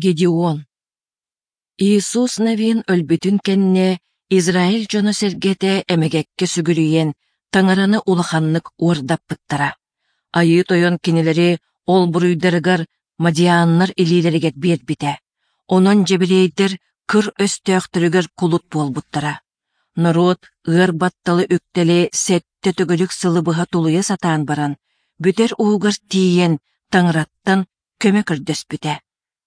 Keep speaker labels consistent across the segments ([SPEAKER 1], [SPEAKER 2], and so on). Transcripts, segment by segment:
[SPEAKER 1] Гедеон Иисус Навин өлбүтүн кэннэ Израиль дьоно-сэргэтэ эмэгэккэ сүгүрүйэн Таҥараны улаханнык уордаппыттара. Айыы Тойон кинилэри ол буруйдарыгар мадианнар илиилэригэр биэрбитэ. Онон дьэбириэйдэр кыр өстөөхтөрүгэр кулут буолбуттара. Норуот ыар батталы үктэли сэттэ төгүрүк сылы быһа тулуйа сатаан баран, бүтэр уһугар тиийэн Таҥараттан көмө көрдөспүтэ.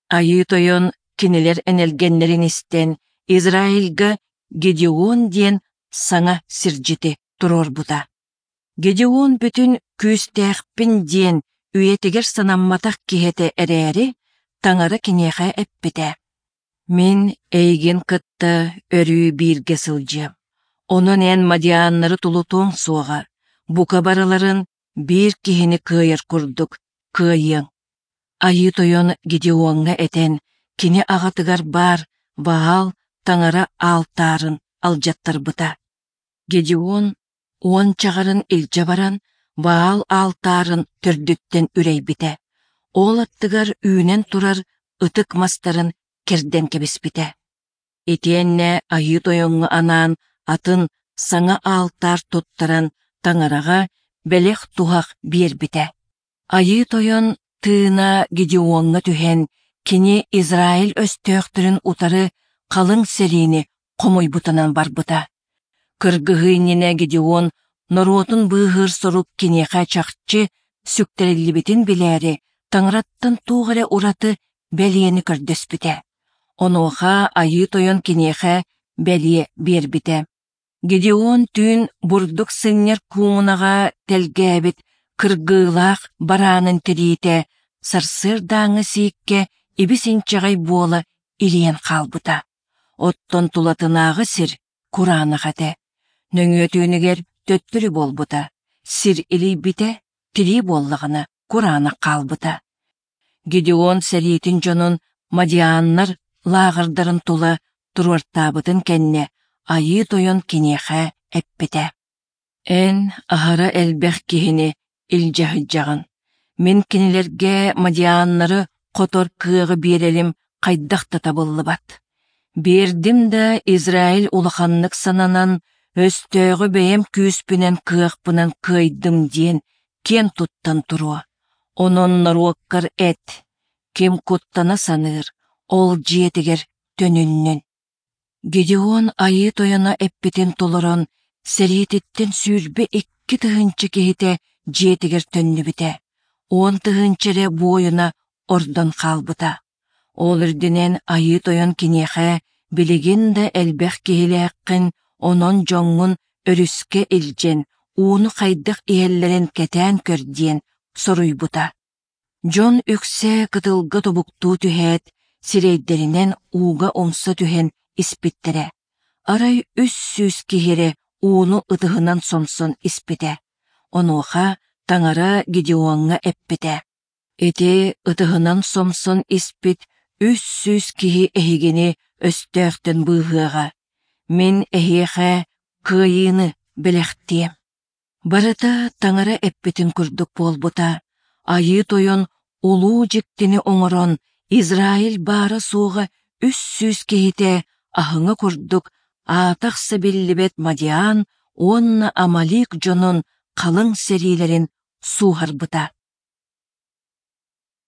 [SPEAKER 1] Айыы Тойон кинилэр энэлгэннэрин истэн, Израильга Гедеон диэн саҥа сирдьити туруорбута. Гедеон бүтүн күүстээхпин диэн үйэтигэр санамматах киһи этэ эрээри, Таҥара киниэхэ эппитэ: «Мин эйигин кытта өрүү бииргэ сылдьыам. Онон эн мадианнары тулутуоҥ суоҕа, бука барыларын биир киһини кыайар курдук кыайыаҥ». Айыы Тойон Гедеоҥҥа этэн, кини аҕатыгар баар Ваал таҥара аалтаарын алдьаттарбыта. Гедеон уон чаҕарын илдьэ баран, Ваал аалтаарын төрдүттэн үрэйбитэ. Ол аттыгар үүнэн турар ытык мастарын кэрдэн кэбиспитэ. Итиэннэ Айыы Тойоҥҥо анаан атын саҥа аалтаар туттаран Таҥараҕа бэлэх-туһах биэрбитэ. Айыы Тойон тыына Гедеоҥҥа түһэн, кини Израиль өстөөхтөрүн утары халыҥ сэриини хомуйбутунан барбыта. Кыргыһыы иннинэ Гедеон норуотун быыһыыр сорук киниэхэ чахчы сүктэриллибитин билээри, Таҥараттан туох эрэ ураты бэлиэни көрдөспүтэ. Онуоха Айыы Тойон киниэхэ бэлиэ биэрбитэ. Гедеон түүн бурдук сынньар куумунаҕа тэлгээбит кыргыылаах бараанын тириитэ сарсыардааҥҥы сииккэ ибис-инчэҕэй буола илийэн хаалбыта. Оттон тулатынааҕы сир кураанах этэ. Нөҥүө түүнүгэр төттөрү буолбута, сир илийбитэ, тирии буоллаҕына кураанах хаалбыта. Гедеон сэриитин дьонун мадианнар лааҕырдарын тула туруортаабытын кэннэ Айыы Тойон киниэхэ эппитэ: «Эн аһара элбэх киһини илдьэ сылдьаҕын. Мин кинилэргэ мадианнары хотор кыаҕы биэрэрим хайдах да табыллыбат. Биэрдим да Израиль улаханнык сананан, өстөөҕү бэйэм күүспүнэн кыахпынан кыайдым диэн киэн туттан туруо. Онон норуоккар эт, ким куттана саныыр, ол дьиэтигэр төнүннүн. Гедеон Айыы Тойоно эппитин толорон, сэриититтэн 22 тыһыынча киһитэ дьиэтигэр төннүбүтэ, уон тыһыынча эрэ буойуна ордон хаалбыта. Ол үрдүнэн Айыы Тойон киниэхэ билигин да элбэх киһилээххин, онон дьоҥҥун өрүскэ илдьэн, ууну хайдах иһэллэрин кэтээн көр диэн соруйбута. Дьон үксэ кытылга тобуктуу түһээт, сирэйдэринэн ууга умса түһэн испиттэрэ. Арай 300 киһи эрэ ууну ытыһынан сомсон испитэ. Онуоха Таҥара Гедеоҥҥа эппитэ: «Ити ытыһынан сомсон испит 300 киһи эһигини өстөөхтөн быыһыаҕа. Мин эһиэхэ кыайыыны бэлэхтиэм». Барыта Таҥара эппитин курдук буолбута. Айыы Тойон улуу дьиктини оҥорон, Израиль баара-суоҕа 300 киһитэ аһыҥа курдук аата-ахса биллибэт Мадиан уонна Амалик дьонун халыҥ сэриилэрин сууһарбыта.